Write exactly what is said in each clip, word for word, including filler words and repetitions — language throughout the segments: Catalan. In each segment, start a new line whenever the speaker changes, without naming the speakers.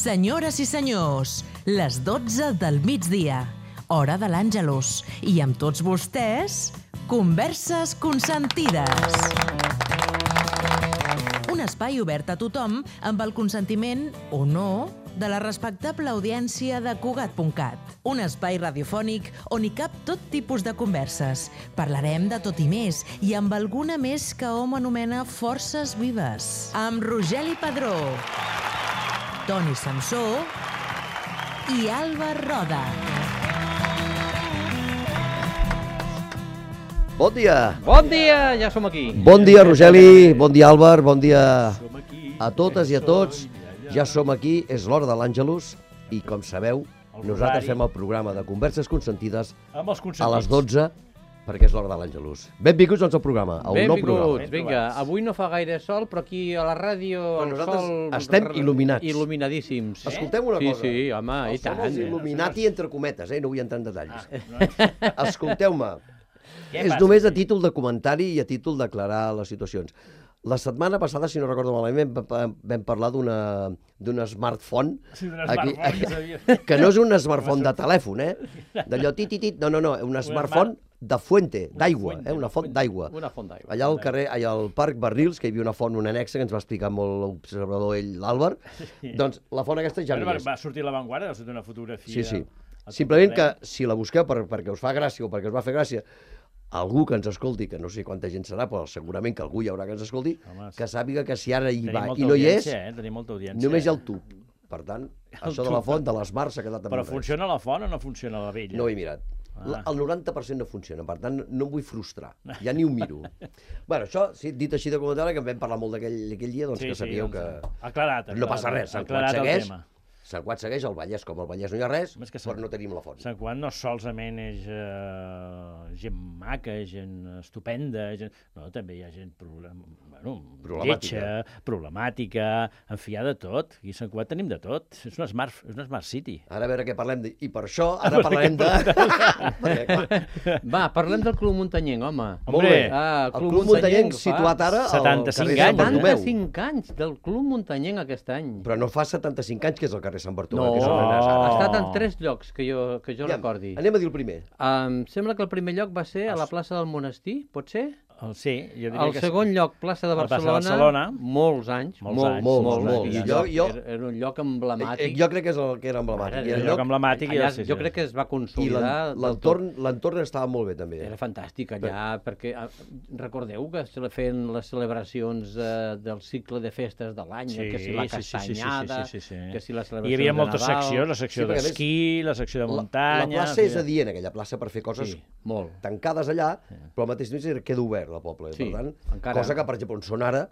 Senyores i senyors, les dotze del migdia, hora de l'Àngelus, i amb tots vostès, Converses Consentides. Un espai obert a tothom amb el consentiment, o no, de la respectable audiència de Cugat punt cat. Un espai radiofònic on hi cap tot tipus de converses. Parlarem de tot i més, i amb alguna més que hom anomena forces vives. Amb Rogeli Padró, Toni Samsó i Alba Roda.
Bon dia!
Bon dia! Ja som aquí.
Bon dia, Rogeli, bon dia, Àlvar, bon dia a totes i a tots. Ja som aquí, és l'hora de l'Àngelus, i com sabeu, nosaltres fem el programa de Converses Consentides a les dotze, perquè és l'hora de l'Àngelus. Benvinguts doncs al programa, a un nou programa.
Benvinguts, vinga. Avui no fa gaire sol, però aquí a la ràdio el
nosaltres
sol...
estem il·luminats.
Il·luminadíssims.
Escoltem una
sí,
cosa.
Sí, sí, home, i tant.
Els il·luminati entre cometes, eh? No vull entrar en detalls. Escolteu-me, és només a títol de comentari i a títol d'aclarar les situacions. La setmana passada, si no recordo malament, vam parlar d'un smartphone, que no és un smartphone de telèfon, eh? D'allò tit-tit, no, no, no, un smartphone de fuente, d'aigua, eh? Una font d'aigua.
Una font d'aigua.
Allà al carrer, allà al Parc Barrils, que hi havia una font, una anexa, que ens va explicar molt l'observador ell, l'Àlvar, doncs la font aquesta ja no hi és.
Va sortir a l'avantguarda, va sortir una fotografia...
Sí, sí. Simplement que si la busqueu perquè us fa gràcia o perquè us va fer gràcia, algú que ens escolti, que no sé quanta gent serà, però segurament que algú hi haurà que ens escolti, Home, que sàpiga que si ara hi va i no hi és,
eh?
només hi ha el tub. Per tant, el això tub. De la font, de l'Smart, s'ha quedat amb
Però funciona la font o no funciona la vella?
No ho he mirat. Ah. El noranta per cent no funciona, per tant, no em vull frustrar. Ja ni ho miro. Bueno, això, sí, dit així de comentari, que en vam parlar molt d'aquell dia, doncs
sí,
que sabíeu
sí,
que...
Aclarat,
no passa res, Sant Quat segueix... Sant Quat segueix, el Vallès, com el Vallès no hi ha res, però no tenim la font.
Sant Quat no solament és uh, gent maca, gent estupenda, gent... no, també hi ha gent problem... bueno,
problemàtica.
lletja, problemàtica, en fi, hi ha de tot. Aquí a Sant Quat tenim de tot. És una smart, és una smart city.
Ara a veure què parlem, de... i per això ara parlarem de...
Va, parlem del Club Muntanyenc, home.
Molt bé, ah, el Club Muntanyenc situat ara al carrer Sant Bartomeu.
setanta-cinc anys del Club Muntanyenc aquest any.
Però no fa setanta-cinc anys que és el carrer Sant Bartomeu.
No,
que és
ha estat en tres llocs que jo, que jo
ja,
recordi.
Anem a dir el primer.
Em sembla que el primer lloc va ser a la plaça del Monestir, pot ser?
El, sí, jo diria
el
que
segon lloc, plaça de Barcelona,
Barcelona,
molts anys,
molts,
molts,
anys,
molts,
molts,
molts.
molts.
Jo, jo,
era, era un lloc emblemàtic.
Jo crec que és el que era emblemàtic.
Era el lloc emblemàtic.
Allà,
sí, sí.
jo crec que es va consolidar.
I l'entorn estava molt bé, també.
Era fantàstic allà, Però... perquè recordeu que se feien les celebracions eh, del cicle de festes de l'any,
sí,
que si la castanyada,
sí, sí, sí, sí, sí.
que si la celebració
Hi havia
de
moltes
Nadal.
seccions, la secció sí, d'esquí, la secció de muntanya...
La, la plaça és adient, aquella plaça, per fer coses
sí, molt.
tancades allà, sí. Però al mateix temps queda obert el poble.
Sí,
per tant,
encara.
Cosa que, per exemple, on són ara,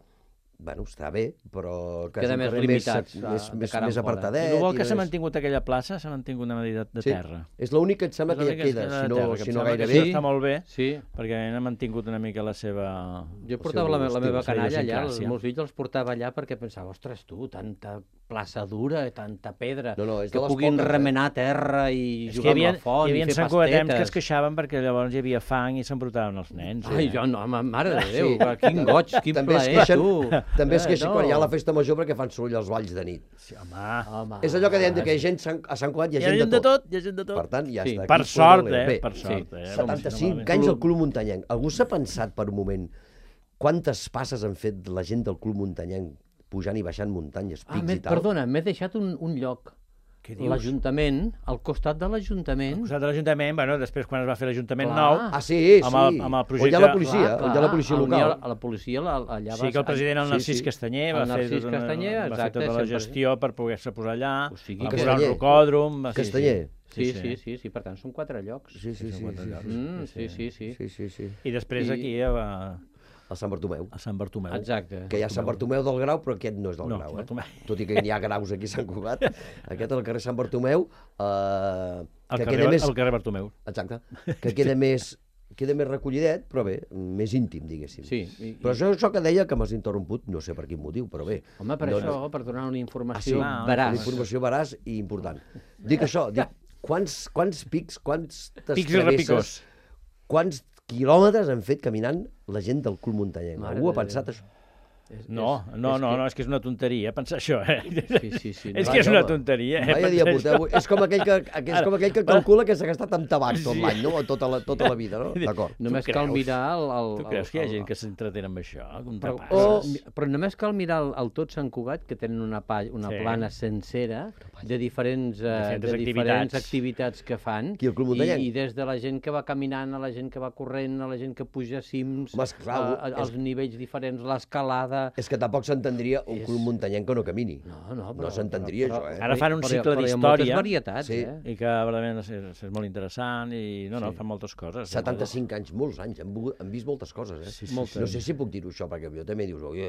bueno, està bé, però...
Queda més limitats,
més, més, més apartadet.
I el bo que s'ha mantingut aquella plaça, s'ha mantingut una medida de terra.
Sí. És l'únic que et sembla que ja queda, si no, si no gairebé.
Sí, està molt bé,
sí.
perquè ha mantingut una mica la seva...
Jo portava la, la meva canalla allà, els meus fills els portava allà perquè pensava, ostres, tu, tanta plaça dura, tanta pedra,
no, no,
que puguin poques, remenar terra i
és
jugar amb la font i fer pastetes. Hi havia
santcugatems que es queixaven perquè llavors hi havia fang i s'embrutaven els nens.
Ai, jo no, mare de Déu, quin goig, quin plaer, tu.
També es queixen quan hi ha la festa major perquè fan soroll als balls de nit.
Sí, home.
home.
És allò que dèiem que hi ha gent a Sant Quat, hi ha gent de tot.
Hi ha gent de tot.
Per tant, ja
sí.
està.
Per sort, eh? Per sort, eh?
setanta-cinc anys al Club Muntanyenc. Algú s'ha pensat per un moment quantes passes han fet la gent del Club Muntanyenc pujant i baixant muntanyes, pics
ah,
i tal?
Perdona, m'he deixat un, un lloc. L'Ajuntament, al costat de l'Ajuntament...
Al costat de l'Ajuntament, bueno, després quan es va fer l'Ajuntament nou...
Ah, sí, sí.
Amb el, amb el projecte...
On hi ha la policia, clar, clar, on hi ha la policia local.
Ha, a la policia allà
sí, que el president, el Narcís sí, sí. Castanyer, va,
Narcís
fer tota,
Castanyer,
va fer tota la gestió per poder-se posar allà,
o sigui,
va posar un rocòdrom...
Castanyer.
Sí, sí, sí, sí, sí, per tant, són quatre llocs.
Sí, sí, sí.
Mm, sí, sí, sí.
sí, sí, sí.
I després
I...
aquí va...
A Sant Bartomeu.
A Sant Bartomeu.
Exacte.
Que hi ha Sant Bartomeu del Grau, però aquest no és del
no,
Grau,
eh?
Tot i que hi ha graus aquí a Sant Cugat. Aquest al carrer Sant Bartomeu... Eh,
el,
que
carrer,
queda més...
el carrer Bartomeu.
Exacte. Que queda més... queda més recollidet, però bé, més íntim, diguéssim.
Sí. I,
però això, això que deia que m'has interromput, no sé per quin motiu, però bé.
Home, per
no,
això,
no...
per donar una informació
ah, sí,
veraç.
Una informació veraç i important. Dic això, dic, quants, quants pics, quants
pics i repicós,
quants quilòmetres han fet caminant la gent del Club Muntanyenc?
Mare
Algú ha
de
pensat
Déu.
això?
No, no, no, no, és que és una tonteria pensar això, eh?
Sí, sí, sí.
És que és una tonteria, eh?
Vaya dia porteu. És com aquell que, és com aquell que calcula que s'ha gastat amb tabac tot l'any, no? Tota la, tota la vida, no? D'acord.
Només cal mirar el... el
tu creus que hi ha gent que s'entretén amb això?
Però, o, però només cal mirar el, el tot Sant Cugat, que tenen una, pa, una sí. plana sencera de diferents, uh,
diferents,
de
activitats.
diferents activitats que fan.
Qui, el Club Muntanyenc?
I, I des de la gent que va caminant, a la gent que va corrent, a la gent que puja cims,
Home, clar,
a, a, als és... nivells diferents, l'escalada...
És que tampoc s'entendria un
és...
club muntanyenc que no camini.
No, no, però,
no s'entendria això, eh?
Ara fan un
però,
cicle d'història.
Però hi ha moltes varietats,
sí.
eh?
I que realment és, és molt interessant i no, no, sí. fan moltes coses.
setanta-cinc anys, molts anys, han, han vist moltes coses, eh?
Sí, sí,
moltes. No sé si puc dir-ho això, perquè jo també dius, oi,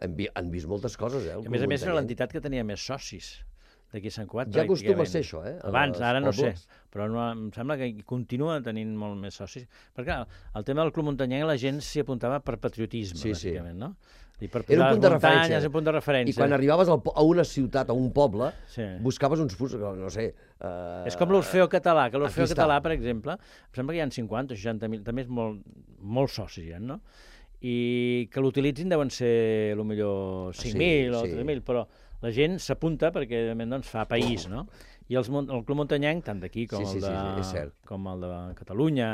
han, vi, han vist moltes coses, eh?
A més a més era l'entitat que tenia més socis d'aquí a Sant Cugat.
Ja acostuma a ser això, eh?
Abans, ara no sé, però no, em sembla que continua tenint molt més socis. Perquè el tema del Club Muntanyenc la gent s'hi apuntava per patriotisme,
sí,
bàsicament,
sí.
no? I per
era un punt de referència.
Un punt de referència.
I quan arribaves al, a una ciutat, a un poble,
sí.
buscaves uns punts, no sé... Uh...
És com l'Orfeo català, que l'Orfeo català, per exemple, em sembla que hi ha cinquanta o seixanta mil, també és molt, molt socis, ja, no? I que l'utilitzin deuen ser, potser cinc mil sí, o tres mil, sí. Però la gent s'apunta perquè, doncs, fa país, no? I els, el Club Muntanyenc, tant d'aquí com,
sí, sí,
el de,
sí,
com el de Catalunya,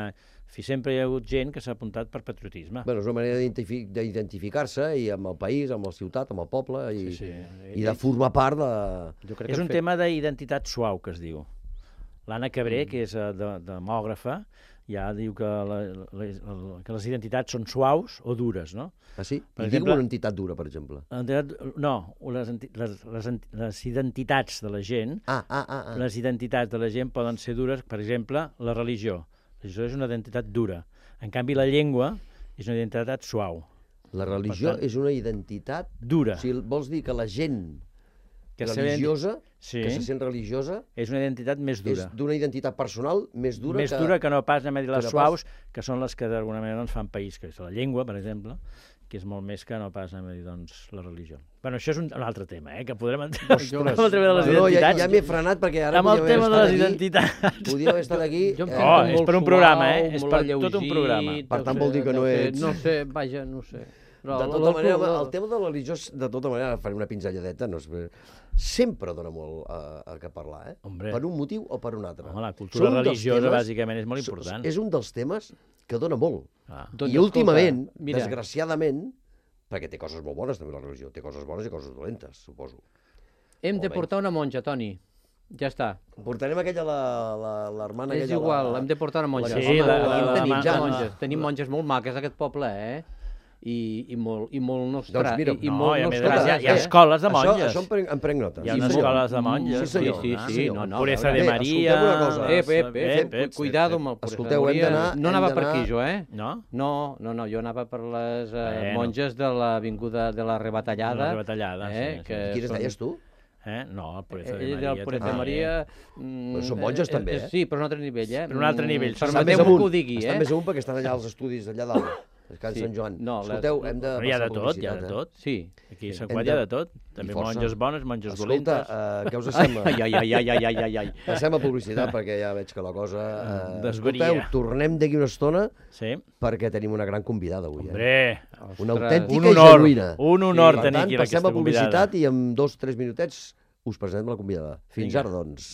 fi, sempre hi ha hagut gent que s'ha apuntat per patriotisme.
Bueno, és una manera d'identificar-se i amb el país, amb la ciutat, amb el poble, i, sí, sí. i de formar part de...
Jo crec és que un fet... tema d'identitat suau, que es diu. L'Anna Cabré, mm. que és de, demògrafa, ja diu que, la, la, la, que les identitats són suaus o dures, no?
Ah, sí?
Per
I exemple, digue una entitat dura, per exemple.
Entitat, no, les, les, les, les identitats de la gent,
ah, ah, ah, ah.
les identitats de la gent poden ser dures, per exemple, la religió. La religió és una identitat dura. En canvi, la llengua és una identitat suau.
La religió tant, és una identitat...
Dura.
O sigui, vols dir que la gent que religiosa,
sí.
que se sent religiosa...
És una identitat més dura.
És d'una identitat personal més dura
més
que...
Més dura que no pas, anem a dir, les suaus, pas... que són les que d'alguna manera doncs, fan país, que és la llengua, per exemple, que és molt més que no pas, anem a dir, doncs, la religió. Bueno, això és un, un altre tema, eh, que podrem entrar amb el tema de les
no,
identitats.
Ja, ja m'he frenat perquè ara...
Amb el tema de les aquí, identitats.
Podíem haver estat aquí...
Eh, oh, és per un programa, eh? És per tot un programa.
Per tant, vol dir que no ets...
No sé, vaja, no sé.
Però de tota manera, el tema de la religió, de tota manera, faré una pinzelladeta, no és... sempre dona molt a, a què parlar, eh?
Hombre.
Per un motiu o per un altre.
Home, la cultura religiosa, temes, bàsicament, és molt important.
És un dels temes que dona molt.
Ah.
I doncs, últimament, escolta, desgraciadament, perquè té coses molt bones, també, la religió, té coses bones i coses dolentes, suposo.
Hem de portar una monja, Toni. Ja està.
Portarem aquella, l'hermana...
És igual, hem de portar una monja.
Sí, la, la, la,
tenim,
la,
ja,
la,
monges. Tenim monges molt maques, aquest poble, eh? I, i molt, i molt nostra...
Doncs mira,
i, i
no,
molt
i a més,
nostra,
hi ha, hi ha escoles de monges.
Això, això em, prenc, em prenc nota.
Hi ha unes escoles de monges.
Sí, senyor.
Sí, sí, sí. No, no,
Pureza de Maria...
Escolteu una cosa.
Ep, ep, ep, ep, cuidado amb el Pureza de Maria. No anava per aquí, jo, eh?
No?
No, no, no, jo anava per les uh, monges de l'avinguda de la Rebatallada.
De la Rebatallada,
eh,
sí.
Que
quines
són...
deies tu?
Eh? No, el Pureza de
Ell
Maria.
del Pureza de Maria...
Però són monges també, eh?
Sí, però a un altre nivell, eh?
Per un altre nivell.
Permeteu-me que ho digui, eh?
Estan més amunt perquè estan allà als estudis, allà dalt. Can sí. Sant Joan.
No,
escolteu, hem de
hi ha de tot, hi ha de tot.
Sí.
Aquí a Sant Cugat hi ha de tot. També monges bones, monges
dolentes. Escolta, uh, què us sembla?
Ai, ai, ai, ai, ai, ai, ai.
Passem a publicitat perquè ja veig que la cosa... Uh,
Desvaria.
Escolteu, tornem d'aquí una estona
sí.
perquè tenim una gran convidada avui.
Hombre!
Eh? Una autèntica
un honor,
i genuïna.
Un honor
sí,
tenir aquí aquesta convidada.
Passem a publicitat i en dos o tres minutets us presentem la convidada. Fins Vinga. Ara, doncs.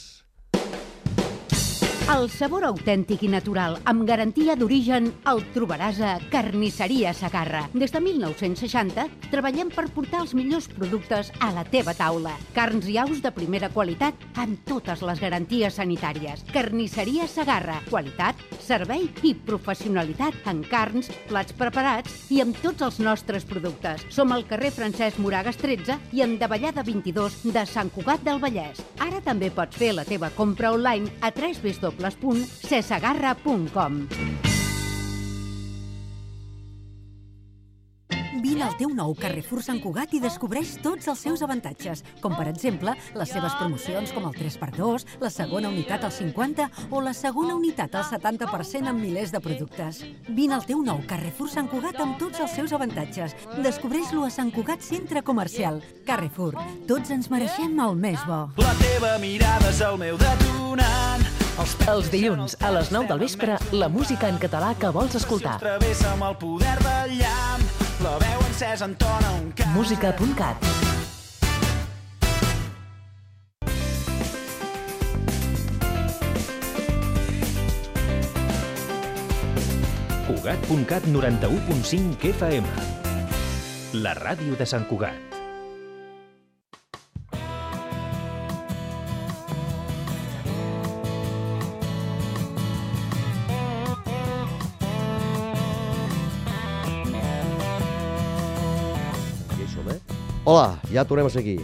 El sabor autèntic i natural, amb garantia d'origen, el trobaràs a Carnisseria Segarra. Des de mil nou-cents seixanta treballem per portar els millors productes a la teva taula. Carns i aus de primera qualitat amb totes les garanties sanitàries. Carnisseria Segarra. Qualitat, servei i professionalitat en carns, plats preparats i amb tots els nostres productes. Som al carrer Francesc Moragas tretze i en Davallada vint-i-dos de Sant Cugat del Vallès. Ara també pots fer la teva compra online a w w w punt cesegarra punt com. Vine al teu nou Carrefour Sant Cugat i descobreix tots els seus avantatges, com per exemple les seves promocions com el tres per dos, la segona unitat al cinquanta o la segona unitat al setanta per cent en milers de productes. Vine al teu nou Carrefour Sant Cugat amb tots els seus avantatges. Descobreix-lo a Sant Cugat Centre Comercial. Carrefour, tots ens mereixem el més bo.
La teva mirada és el meu detonant.
Els dilluns, a les nou del vespre, la música en català que vols escoltar.
Travessa amb el poder del llamp. la veu encesa entona un cant.
música punt cat.
Cugat punt cat noranta-u punt cinc F M. La ràdio de Sant Cugat.
Ja hi som, eh? Hola, ja tornem a ser aquí.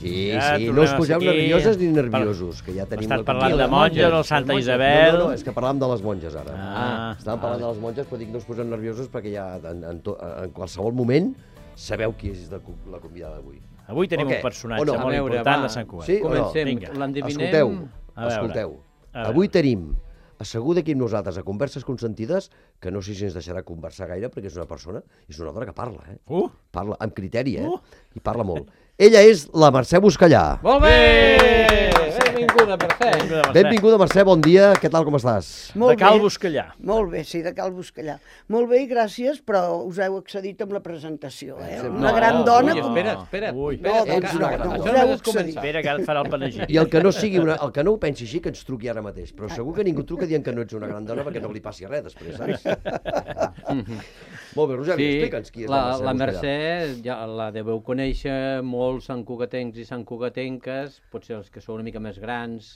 Sí,
Ja
sí,
tornem
no us
a
poseu
ser aquí.
nervioses ni nerviosos, que ja tenim...
Estàs
la
parlant
convida.
de monges, el Santa Isabel...
No, no, no, és que parlàvem de les monges, ara.
Ah,
Estàvem parlant de les monges, però dic no us poseu nerviosos perquè ja en, en, to, en qualsevol moment sabeu qui és de, la convidada d'avui.
Avui tenim
O què?
un personatge
O no?
molt
A veure,
important
va.
de Sant Cugat.
Sí o no?
Comencem.
Vinga.
L'endevinem...
Escolteu,
A veure.
escolteu.
A veure.
Avui tenim assegut aquí amb nosaltres a Converses Consentides, que no sé si ens deixarà conversar gaire perquè és una persona, és una dona que parla, eh?
Uh!
Parla amb criteri, eh?
Uh.
I parla molt. Ella és la Mercè Buscallà.
Molt bé! Benvinguda, Mercè.
Benvinguda, Mercè.
Benvinguda, Mercè, bon dia. Què tal, com estàs?
De Cal Buscallà.
Molt bé, sí, de Cal Buscallà. Molt bé i gràcies, però us heu excedit amb la presentació, eh?
Sí,
Una
no,
gran
no,
dona...
Ui,
com-
espera, espera.
Ui.
espera,
No,
espera,
doncs
que-
no,
que-
no,
això
us heu
només és
excedit.
començar.
Espera, que ara et farà el panegíric.
I el que no sigui una, el que no ho pensi així, que ens truqui ara mateix. Però segur que ningú truca dient que no ets una gran dona perquè no li passi res després, saps? Molt bé, Roger,
Sí,
explica'ns qui és
la,
la
la
Mercè Buscallà.
Mercè ja la deveu conèixer molts santcugatencs i santcugatenques, potser els que sou una mica més grans,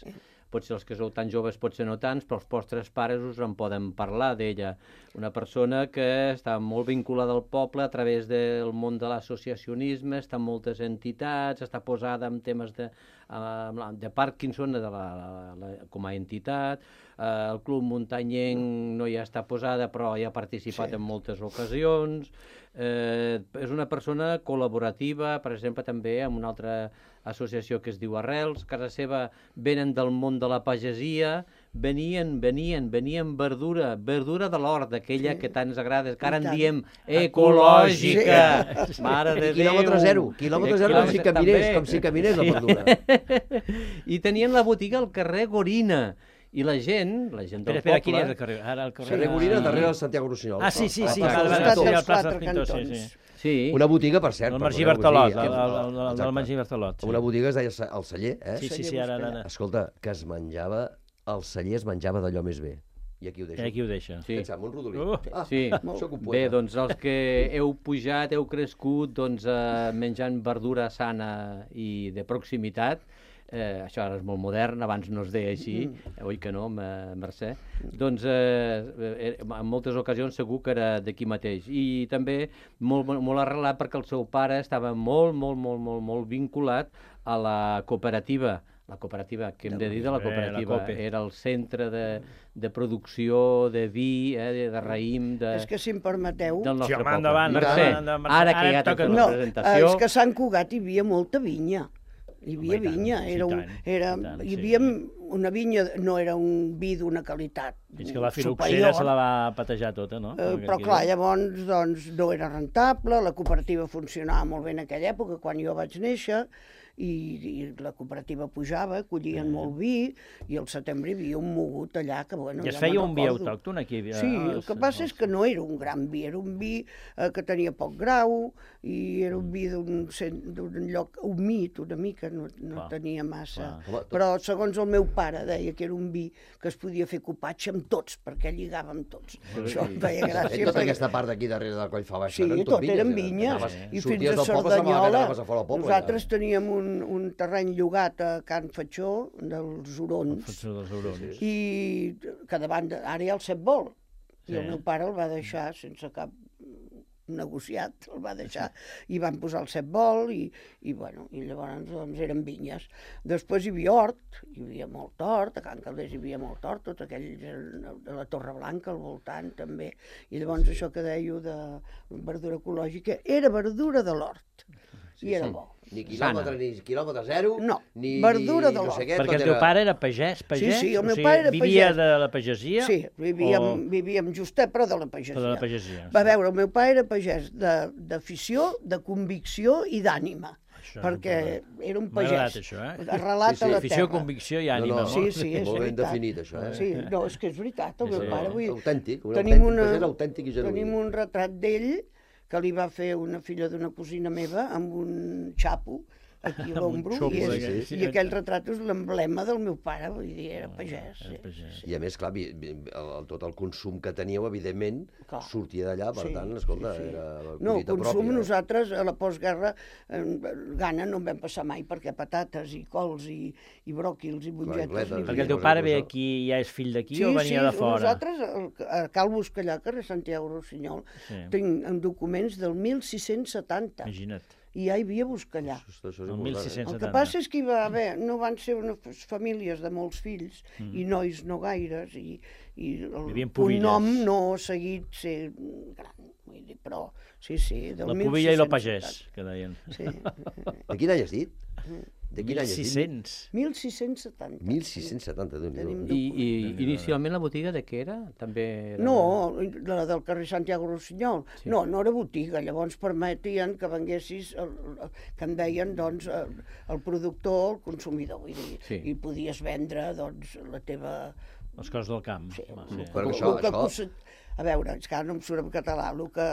potser els que sou tan joves, potser no tants, però els vostres pares us en poden parlar d'ella. Una persona que està molt vinculada al poble a través del món de l'associacionisme, està en moltes entitats, està posada en temes de, uh, de Parkinson de la, la, la, com a entitat, uh, el Club Muntanyenc no hi està posada però hi ha participat sí. en moltes ocasions, eh, és una persona col·laborativa, per exemple també amb una altra associació que es diu Arrels, casa seva venen del món de la pagesia, venien, venien, venien verdura, verdura de l'hort, aquella sí. que tant ens agrada, que ara en diem ecològica, sí. Mare de Déu.
Quilòmetre zero, quilòmetre zero, com si caminés, com si caminés la verdura.
I tenien la botiga al carrer Gorina, i la gent, la gent del
Espera, espera,
poble...
quin és el carrer? Ara el carrer...
Carrer Gorina, darrere del Santiago Rossinyol.
Ah, sí, sí, sí.
A la
Vale,
plaça
vale,
del
sí,
Pintor.
a la plaça
Quatre
dels Pintors, sí,
cantons.
sí.
Sí.
Una botiga, per cert.
El Margí
perdoneu, vull
Bertolot,
dir,
el, el, el, el,
exacte.
el Margí Bertolot. Sí.
Una botiga es deia ce- el celler, eh?
Sí, sí, sí, ara, ara, ara.
Escolta, que es menjava, el celler es menjava d'allò més bé. I aquí ho deixo.
I aquí ho deixa.
Sí.
Pensam, un rodolí.
Uh.
Ah,
Sí,
sóc un
bé,
poeta.
doncs els que heu pujat, heu crescut doncs, eh, menjant verdura sana i de proximitat, eh, això ara és molt modern, abans no es deia així, mm. oi que no, M- Mercè? Doncs eh, eh, en moltes ocasions segur que era d'aquí mateix. I també molt, molt, molt arrelat perquè el seu pare estava molt, molt, molt, molt, molt vinculat a la cooperativa. La cooperativa, que hem de dir de la
Eh, la
cooperativa,
Cope.
era el centre de, de producció de vi, eh, de, de raïm, de,
És que, si em permeteu...
del nostre
Sí, home,
poble.
endavant,
Mercè,
endavant, endavant,
ara
Mercè.
que ja
Ara
t'he fet
toca-
la
No,
presentació...
és que a Sant Cugat hi havia molta vinya. Hi havia
Home, i tant,
vinya.
sí,
Era un,
tant,
era,
i tant,
hi
sí.
havia una vinya, no era un vi d'una qualitat
Fins que la filoxera
superior.
se la va patejar tota, no?
Eh, però clar, llavors doncs, no era rentable, la cooperativa funcionava molt bé en aquella època, quan jo vaig néixer, i, i la cooperativa pujava, collien molt vi, i al setembre hi havia un mogut allà que, bueno,
I es
ja
feia
me'n
un vi
recordo.
autòcton aquí? eh,
Sí, el
als-
que passa és
als-
que no era un gran vi, era un vi eh, que tenia poc grau i era un vi d'un cen- d'un lloc humit una mica, no, no
Clar,
tenia massa.
clar.
Home, tot-
Però segons el meu pare deia que era un vi que es podia fer copatge amb tots, perquè lligava amb tots. Això em feia
Eh,
gràcia.
tota
perquè-
aquesta part d'aquí darrere del coll fa baix,
Sí,
eren
tot
vinyes,
eren
eh?
vinyes.
Anaves-
I
sorties
fins a
del poble, semblava que
Cerdanyola,
anaves a fora del poble,
nosaltres
ja.
teníem un, un terreny llogat a Can Fatxó, dels Hurons,
Fatxó dels Hurons.
i que davant de, ara hi ha el set vol, i
Sí.
el meu pare el va deixar sense cap negociat, el va deixar, i van posar el set vol, i, i, bueno, i llavors doncs, eren vinyes. Després hi havia hort, hi havia molt hort, a Can Calders hi havia molt hort, tot aquell de la Torre Blanca al voltant també, i llavors això que dèieu de verdura ecològica, era verdura de l'hort, i era bo.
Ni quilòmetre, ni quilòmetre zero,
No,
ni,
verdura
ni
de
no
l'hort.
sé què,
Perquè
tot
el teu
era-
pare era pagès, pagès?
Sí, sí, el
O
meu
sigui,
pare era
vivia
pagès.
de la pagesia?
Sí, vivíem,
o-
vivíem justet, però de la pagesia.
Però de la pagesia,
Va
sí.
veure, el meu pare era pagès de- d'afició, de, de convicció i d'ànima,
Això
perquè
m'ha
era un
M'ha agradat,
pagès.
això, eh?
Arrelat
Sí, sí.
a la
Afició,
terra.
convicció i
No,
ànima.
no.
Sí,
molt.
sí, és
Molt ben
veritat.
definit, això, eh?
Sí, no, és que és veritat, el
Sí,
meu
sí.
pare. Vull dir,
Autèntic, un
tenim,
autèntic
una,
pagès autèntic i genuí.
tenim un retrat d'ell que li va fer una filla d'una cosina meva amb un xapo, aquí a l'ombro, i, és, i aquell retrat és l'emblema del meu pare, vull dir, era pagès. Sí, sí.
I a més, clar, el, tot el consum que teníeu, evidentment, clar, sortia d'allà, per sí, tant, escolta, sí, sí. era
no,
collita
consum,
pròpia.
Nosaltres, a la postguerra, eh, gana no en vam passar mai, perquè patates i cols i, i bròquils i mongetes...
Perquè el teu pare ve aquí i ja és fill d'aquí sí, o venia
sí,
de fora?
Sí, nosaltres, a Cal Buscallà, carrer Santiago Rossinyol, sí, tinc documents del mil sis-cents setanta.
Imagina't.
I ja hi havia Buscallà.
Això, això
el mil sis-cents setanta.
El que passa és que hi va haver, no van ser unes famílies de molts fills, mm. i nois no gaires, i, i el, un nom no ha seguit ser gran, vull dir, però sí, sí, del
la pubilla i el pagès, que deien.
Sí.
De quin any has dit? De quin any has dit?
mil sis-cents setanta.
mil sis-cents setanta, Déu-n'hi-do.
I, I inicialment la botiga de què era? També era...
No, la del carrer Santiago Rossinyol. Sí. No, no era botiga. Llavors permetien que venguessis, el, que en deien, doncs, el, el productor, el consumidor, vull dir, sí, i podies vendre, doncs, la teva...
Les coses del camp.
Sí,
sí. Però això, això...
A veure, és que no em surt en català, el que...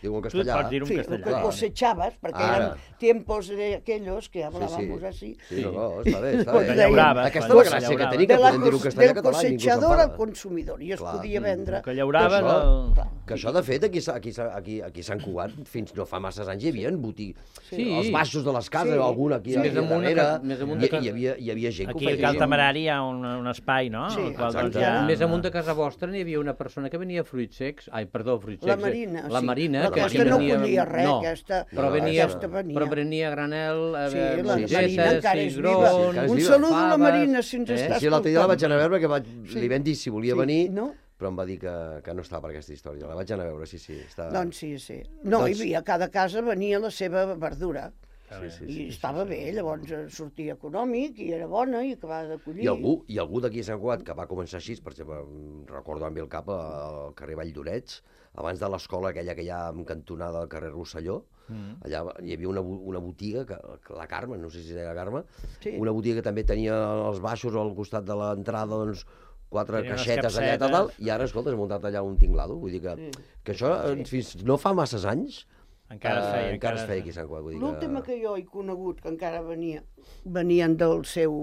Diu en castellà.
Tu
sí, el que cosechabas, perquè Ara. eren tiempos de aquellos que hablábamos
sí, sí.
así.
Sí, no, no, està bé, està bé.
Llauraves.
Aquesta és la gràcia que tenim, que podem dir-ho castellà
del
català.
Del cosechador al consumidor, i es clar, podia vendre...
Que llauraves...
Que això,
el...
que això de fet, aquí, aquí, aquí, aquí a Sant Cugat, fins no fa masses anys, hi havia botiga. Sí. Els baixos de les cases, sí, algun aquí, sí, aquí a darrere, i, hi, havia, hi havia gent que ho feia.
Aquí a Cal Temerari hi ha un, un espai, no?
Sí,
exacte. Més amunt de casa vostra n'hi havia una persona que venia fruits secs, ai, perdó, fruits secs.
La Marina,
la Marina,
sí.
que
aquesta no collia res,
no,
aquesta,
però venia,
aquesta venia.
Però venia granel,
sí,
eh,
la Marina encara és viva.
Sí,
un saludo a la Marina, si ens eh? està escoltant.
Sí, l'altre dia la vaig anar a veure, que vaig, sí, li vam dir si volia
sí,
venir,
no?
però em va dir que, que no estava per aquesta història. La vaig anar a veure, sí, sí. Està...
Doncs sí, sí. No, doncs... hi havia, cada casa venia la seva verdura.
Sí, sí,
i
sí,
estava
sí,
bé,
sí.
Llavors sortia econòmic i era bona i acabava de collir.
I algú, i algú d'aquí a Sant Cugat que va començar així, per exemple, recordo amb el cap al carrer Vall d'Orets, abans de l'escola aquella que hi ha en cantonada al carrer Rosselló, mm. allà hi havia una, una botiga, que, la Carme, no sé si era Carme, sí, una botiga que també tenia els baixos al costat de l'entrada, doncs, quatre tenia caixetes allà i tal, i ara, escolta, has muntat allà un tinglado, vull dir que, sí, que això, sí, fins no fa masses anys,
encara es feia,
uh, encara es feia aquí a Sant Cugat.
L'última que jo he conegut, que encara venia, venien del seu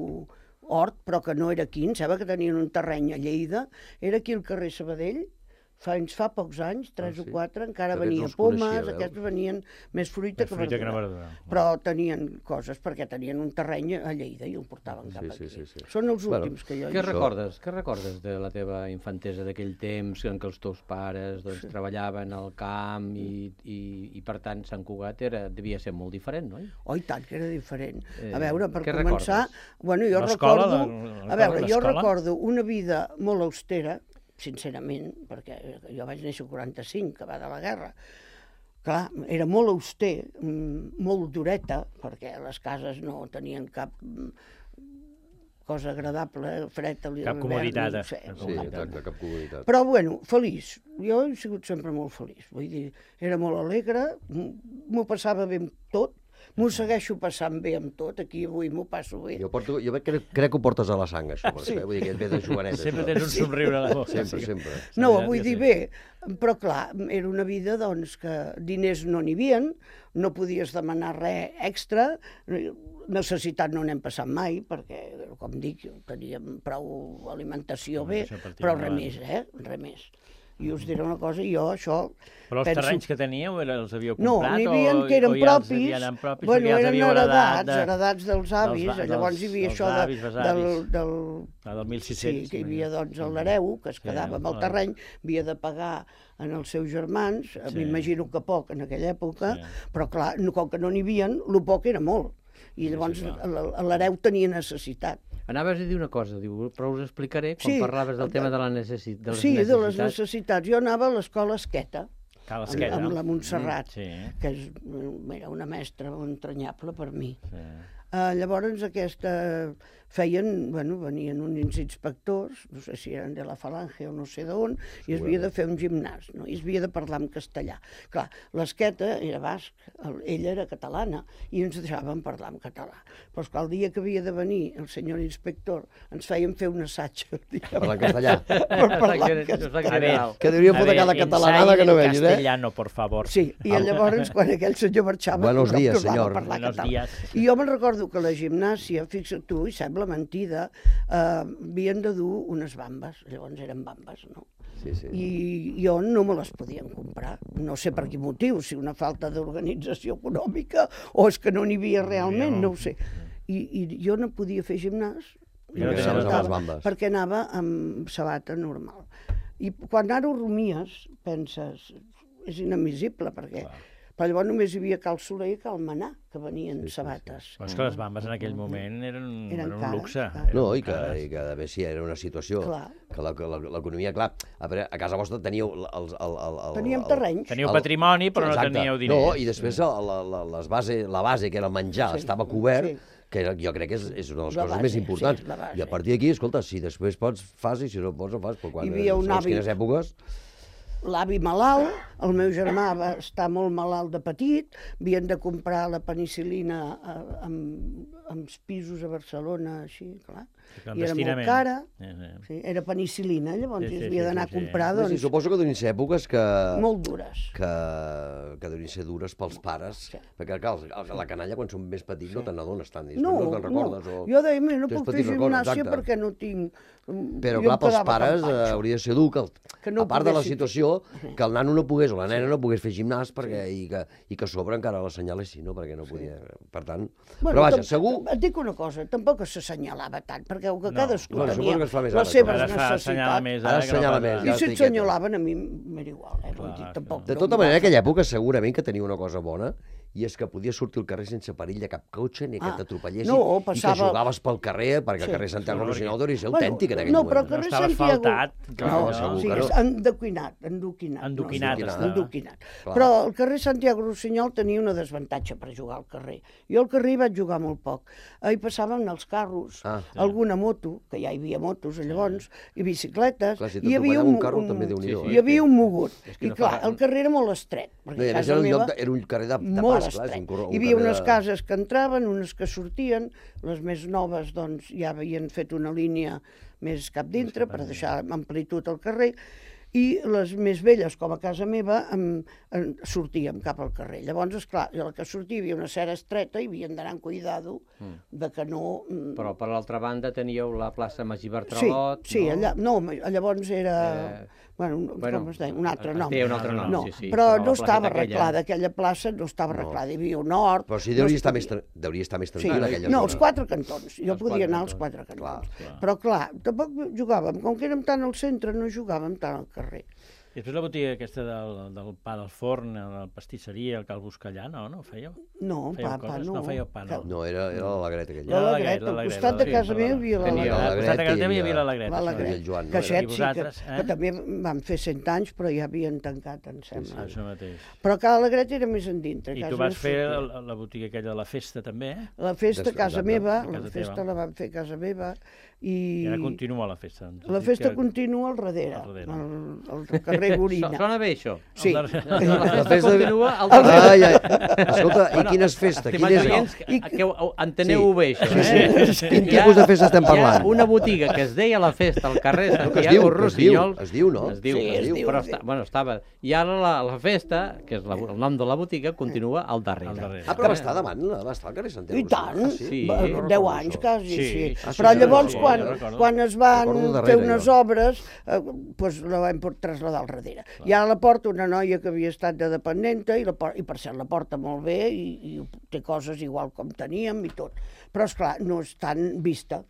hort, però que no era aquí, em sembla que tenien un terreny a Lleida, era aquí al carrer Sabadell, fins fa pocs anys, tres ah, sí? o quatre, encara que venia pomes, aquests venien més fruita, més que, fruita verdura. que verdura. Però tenien coses, perquè tenien un terreny a Lleida i el portaven cap sí, aquí. Sí, sí, sí. Són els últims bueno, que jo he
què recordes? Què recordes de la teva infantesa d'aquell temps en què els teus pares doncs, sí, treballaven al camp i, i, i per tant Sant Cugat era, devia ser molt diferent, no?
Oh, i tant que era diferent. A veure, per començar, bueno, jo recordo,
la,
a veure, jo recordo una vida molt austera, sincerament, perquè jo vaig néixer el quaranta-cinc, que va de la guerra. Clar, era molt auster, molt dureta, perquè les cases no tenien cap cosa agradable, fred a l'hivern.
Cap comoditat.
No sé,
sí, exacte, cap comoditat.
Però, bueno, feliç. Jo he sigut sempre molt feliç. Vull dir, era molt alegre, m'ho passava bé amb tot, m'ho segueixo passant bé amb tot, aquí avui m'ho passo bé.
Jo, porto, jo crec, crec que ho portes a la sang, això, perquè, sí, vull dir que et ve de joveneta.
Sempre tens un somriure a la boca.
Sempre, sempre.
No, vull dir bé, però clar, era una vida doncs, que diners no n'hi havia, no podies demanar res extra, necessitat no n'hem passat mai, perquè, com dic, teníem prou alimentació bé, però res més, eh? Res més. I us diré una cosa, jo això...
Però els penso... terrenys que teníeu els havíeu comprat?
No, n'hi havia que eren propis, ja propis bueno, ja eren heredats, de... heredats dels avis, dels, llavors hi havia això de, del, del...
Ah, del mil sis-cents.
Sí, que hi havia doncs el l'hereu, que es quedava amb el terreny, havia de pagar en els seus germans, sí, m'imagino que poc en aquella època, sí, però clar, com que no n'hi havia, el poc era molt. I llavors sí, sí, l'hereu tenia necessitat.
Anaves a dir una cosa, diu, però us explicaré quan sí, parlaves del tema de, la necessi... de les
sí,
necessitats.
Sí, de les necessitats. Jo anava a l'escola Esqueta,
Cal Esqueta,
amb, amb la Montserrat,
sí,
que és, era una mestra entranyable per mi.
Sí.
Uh, llavors aquesta feien, bueno, venien uns inspectors, no sé si eren de la Falange o no sé d'on, i es havia de fer un gimnàs, no? I es havia de parlar en castellà. Clar, l'esqueta era basc, ella era catalana, i ens deixaven parlar en català. Però esclar, el dia que havia de venir el senyor inspector, ens feien fer un assaig.
Parlar en castellà.
Per parlar en castellà.
Que deuríem fotre cada catalanada que no venis, eh?
Castellano, por favor.
Sí, i llavors, quan aquell senyor marxava,
Buenos días, senyor.
Buenos días. I jo me'n recordo que la gimnàsia, fixa't tu, i sembla mentida, eh, havien de dur unes bambes, llavors eren bambes, no?
Sí, sí.
I jo no me les podien comprar, no sé per quin motiu, si una falta d'organització econòmica o és que no n'hi havia realment, no ho sé. I, i jo no podia fer gimnàs
Perquè anaves amb les bambes.
perquè anava amb sabata normal. I quan ara ho rumies, penses, és inadmissible, perquè... Clar. Però llavors només hi havia Cal Soler i Cal Manà, que venien sí, sí, sabates.
Sí. Però és que les bambes en aquell moment eren, eren, eren un cara, luxe.
Clar. No, i que, i que a més sí, era una situació clar. Que l'economia, clar, a, veure, a casa vostra teníeu... El, el, el, el,
Teníem terrenys.
Teníeu patrimoni, però exacte. No teníeu diners.
No, i després la, la, les base, la base, que era el menjar, sí, estava cobert, sí. que jo crec que és, és una de les la coses base, més importants. Sí, i a partir d'aquí, escolta, si després pots, fas, i si no pots, no fas. Però quan,
hi havia un avi...
quines èpoques...
L'avi malalt, el meu germà va estar molt malalt de petit, havien de comprar la penicil·lina amb, amb pisos a Barcelona, així, clar. I era molt cara, sí, sí. Sí, era penicil·lina, llavors sí, sí, havia d'anar sí, sí, a comprar, sí. doncs...
Sí, suposo que deuen ser èpoques que...
Molt dures.
Que, que deuen ser dures pels pares, sí. Perquè clar, la canalla, quan són més petits, sí. no te n'adones tant,
no,
no te'n recordes.
No,
o...
jo deia, no puc fer gimnàsia perquè no tinc...
Però clar, pels pares eh, hauria de ser dur que, el, que no a part de la situació, que el nano no pogués o la nena no pogués fer gimnàs perquè, sí. i, que, i que a sobre encara l'assenyalessin, no? Perquè no podia... Sí. Per tant...
Bueno,
però vaja, segur...
Et dic una cosa, tampoc s'assenyalava tant, perquè que cadascú
no,
tenia
que es fa més
les
ara,
seves necessitats.
Més,
ara assenyala més.
I si assenyalaven a mi m'era igual, eh? Clar, dir, tampoc,
de tota manera, en aquella època segurament que tenia una cosa bona, i és que podies sortir al carrer sense perill de cap cotxe, ni que ah, t'atropellessin, no, passava... i que jugaves pel carrer, perquè sí. El carrer Santiago Rocinol deuria ser autèntic en aquell
no,
moment.
Però el carrer
no estava
Santiago...
asfaltat.
No, no, no, sí, és endoquinat, endoquinat.
Endoquinat,
no,
està.
Endoquinat. Però el carrer Santiago Rossinyol tenia una desavantatge per jugar al carrer. Jo al carrer hi vaig jugar molt poc. Hi passaven els carros, ah, sí. alguna moto, que ja hi havia motos llavors, i bicicletes,
clar, si
i hi havia un,
un, carro,
un,
també sí, sí,
hi havia un mogut. I clar, el carrer era molt estret.
No, casa meva era un carrer de, de
molt
pas, clar,
estret.
Un, un
hi havia unes
de...
cases que entraven, unes que sortien, les més noves doncs ja havien fet una línia més cap dintre per deixar amplitud al carrer, i les més velles, com a casa meva, em, em, sortíem cap al carrer. Llavors, esclar, a la que sortia hi havia una serra estreta i havien d'anar amb cuidado mm. de que no...
Però per l'altra banda teníeu la plaça Magí Bartralot,
sí, sí,
no?
Allà, no, llavors era... Eh... Bueno,
bueno,
com es deia? Un altre nom.
Té un altre nom,
no,
sí, sí.
Però, però no estava arreglada, aquella plaça no estava arreglada, no. Hi havia un hort...
Però sí, deuria, no estar, més, deuria estar més tranquil·la, sí, aquella
no,
zona.
els quatre cantons, jo els podia anar als quatre cantons. Clar, clar. Però clar, tampoc jugàvem, com que érem tant al centre, no jugàvem tant al carrer.
I després la botiga aquesta del, del pa del forn, la pastisseria, el cal Buscallà, no? No ho fèieu?
No,
fèieu
pa,
coses?
pa, no.
No fèieu pa, no?
No, era, era l'Alegret aquella.
L'Alegret, al costat de casa meva hi havia l'Alegret.
Al costat de casa meva hi havia l'Alegret.
L'Alegret, que aquest sí, que, que també van fer cent anys, però ja havien tancat, em sembla.
Això mateix.
Però que l'Alegret era més endintre.
I tu vas fer la botiga aquella de la festa, també, eh?
La festa a casa meva, la festa la van fer a casa meva, i...
I ara continua la festa.
La festa continua al darrere, al carrer Gorina.
Sona bé, això?
Sí.
La festa continua al
darrere. Escolta, i quines festes?
Que enteneu-ho bé, això,
eh? Quin tipus de festa estem parlant?
Hi ha una botiga que es deia la festa al carrer Santiago Rossinyol.
Es diu, no?
Es diu, però bueno, estava... I ara la festa, que és el nom de la botiga, continua al darrere.
Ah, però va estar davant, va estar al carrer Santiago
Rossinyol. I tant, deu anys quasi, sí. Però llavors, quan es van fer unes obres, doncs la vam traslladar al darrere. I ara la porta una noia que havia estat de dependenta, i per cert la porta molt bé, i té coses igual com teníem i tot. Però, esclar, no és tan vista.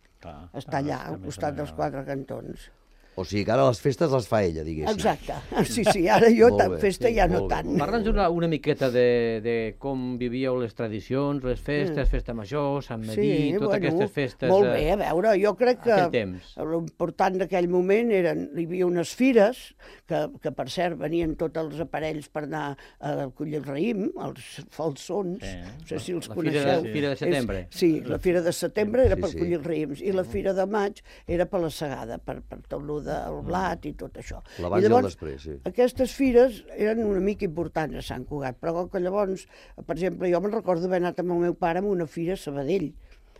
Està allà, al costat dels quatre cantons.
O sigui que ara les festes les fa ella, diguéssim.
Exacte. Sí, sí, ara jo tan festa ja no tant.
Parla'ns una, una miqueta de, de com vivíeu les tradicions, les festes, festa major, Sant Medí,
Sí,
totes
bueno,
aquestes festes...
molt bé, a veure, jo crec que
aquell temps.
l'important d'aquell moment eren, hi havia unes fires, que, que per cert venien tots els aparells per anar a collir el raïm, els falsons,
Sí.
no sé si els
La fira
coneixeu.
de- fira de setembre.
És, sí, la fira de setembre era
Sí,
per
sí.
collir els raïms, i la fira de maig era per la segada, per, per tot lo del blat i tot això.
L'abans i el després, sí.
Aquestes fires eren una mica importants a Sant Cugat, però com que llavors, per exemple, jo me'n recordo haver anat amb el meu pare a una fira a Sabadell,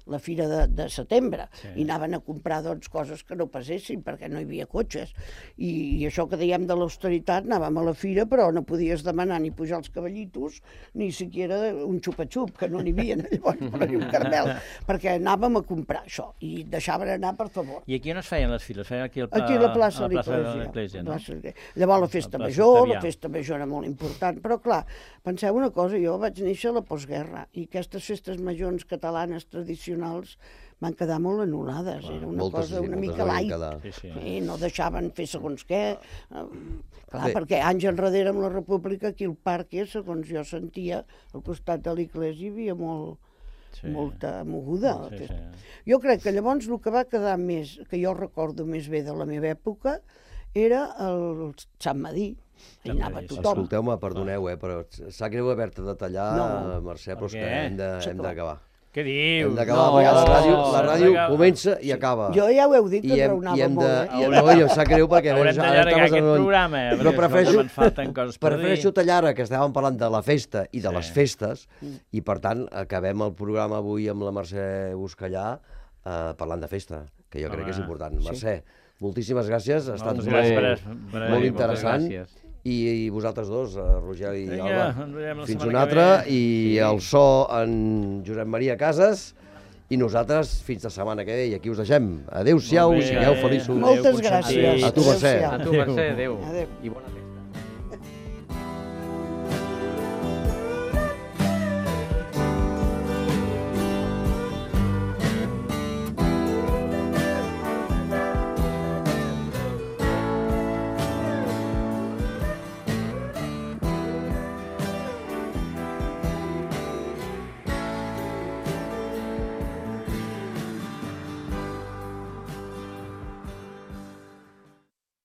la fira de, de setembre, sí. I anaven a comprar doncs, coses que no passessin perquè no hi havia cotxes. I, i això que dèiem de l'austeritat, anàvem a la fira però no podies demanar ni pujar els cavallitos ni siquiera un xupa-xup, que no n'hi havia llavors, per dir un caramel, perquè anàvem a comprar això i deixaven anar, per favor.
I aquí on es feien les files? Feien aquí, al,
Aquí a la plaça
a
de
la plaça de
l'Església.
l'Església, no?
Plaça de l'Església. Llavors la festa
La plaça
major,
Octavià.
la festa major era molt important, però clar, penseu una cosa, jo vaig néixer a la postguerra i aquestes festes majors catalanes tradicionals van quedar molt anul·lades, era una
moltes,
cosa
sí,
una
moltes
mica
van
light,
quedar.
Sí, sí.
i no deixaven fer segons què, eh, clar,
Bé.
perquè anys enrere amb la República, aquí al parc, segons jo sentia, al costat de l'església hi havia molt,
Sí.
molta moguda.
Sí, sí.
Jo crec que llavors el que va quedar més, que jo recordo més bé de la meva època, era el Sant Madí. Hi
Sant
anava
Madí, sí.
tothom.
Escolteu-me, perdoneu, eh, però sap greu haver-te de tallar,
No.
Mercè, però és
Per
que
què?
hem de- hem d'acabar.
Què dius?
Hem d'acabar,
No,
perquè la ràdio, la
no,
ràdio
no.
comença i acaba.
Jo ja ho heu dit, que
I hem, i
enraonava
hem de,
molt, eh?
i, no, i em sap greu perquè...
Haurem
ara
d'allargar
estaves
aquest
en-
programa, eh,
Però
perquè,
prefereixo,
escolta, me'n falten coses per
prefereixo
dir.
tallar ara, que estàvem parlant de la festa i de
Sí.
les festes, i per tant acabem el programa avui amb la Mercè Buscallà eh, parlant de festa, que jo crec que és
Home,
important. Mercè, moltíssimes gràcies, ha estat
Moltes
molt,
gràcies per- per-
molt
per-
interessant.
gràcies.
I, I vosaltres dos, eh, Roger i
Vinga,
Alba,
ens veiem la
fins
setmana
una
que
altra,
ve.
i el so en Josep Maria Casas, i nosaltres fins la setmana que ve, i aquí us deixem. Adéu-siau
Molt
i
bé,
sigueu
eh?
feliços.
Moltes
Adéu,
gràcies.
A tu, Mercè.
A tu, Mercè, adéu.
Adéu.
I bona festa.